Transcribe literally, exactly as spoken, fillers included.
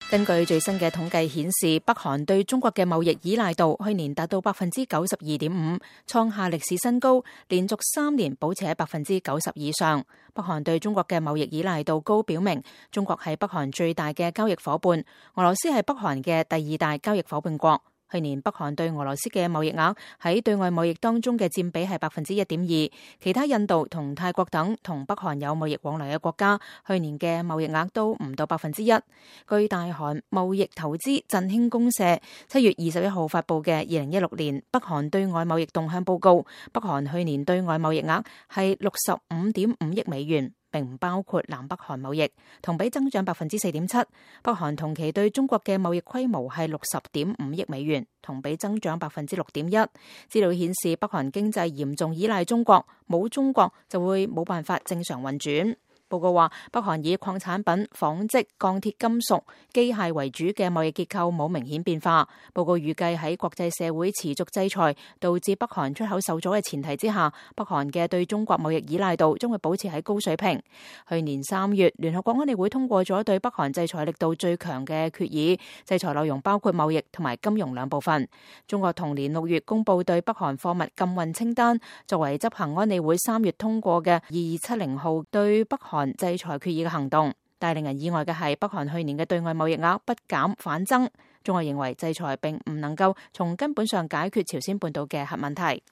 根據最新嘅統計顯示，北韓對中國嘅貿易依賴度去年達到百分之九十二點五，創下歷史新高，連續三年保持喺百分之九十以上。北韓對中國嘅貿易依賴度高，表明中國係北韓最大嘅交易夥伴，俄羅斯係北韓嘅第二大交易夥伴國。去年北韓對俄羅斯嘅貿易額喺對外貿易當中嘅佔比係百分之一點二，其他印度同泰國等同北韓有貿易往來嘅國家，去年嘅貿易額都唔到百分之一。據大韓貿易投資振興公社七月二十一號發布嘅二零一六年北韓對外貿易動向報告，北韓去年對外貿易額係六十五點五億美元。並唔包括南北韓貿易，同比增長百分之四點七。北韓同期對中國嘅貿易規模係六十點五億美元，同比增長百分之六點一。資料顯示，北韓經濟嚴重依賴中國，冇中國就會冇辦法正常運轉。報告話，北韓以礦產品、紡織、鋼鐵、金屬、機械為主嘅貿易結構冇明顯變化。報告預計喺國際社會持續制裁導致北韓出口受阻嘅前提之下，北韓嘅對中國貿易依賴度將會保持喺高水平。去年三月，聯合國安理會通過咗對北韓制裁力度最強嘅決議，制裁內容包括貿易同埋金融兩部分。中國同年六月公布對北韓貨物禁運清單，作為執行安理會三月通過嘅二二七零號對北韓制裁決議嘅行動，但令人意外嘅係，北韓去年嘅對外貿易額不減反增。中國認為制裁並唔能夠從根本上解決朝鮮半島嘅核問題。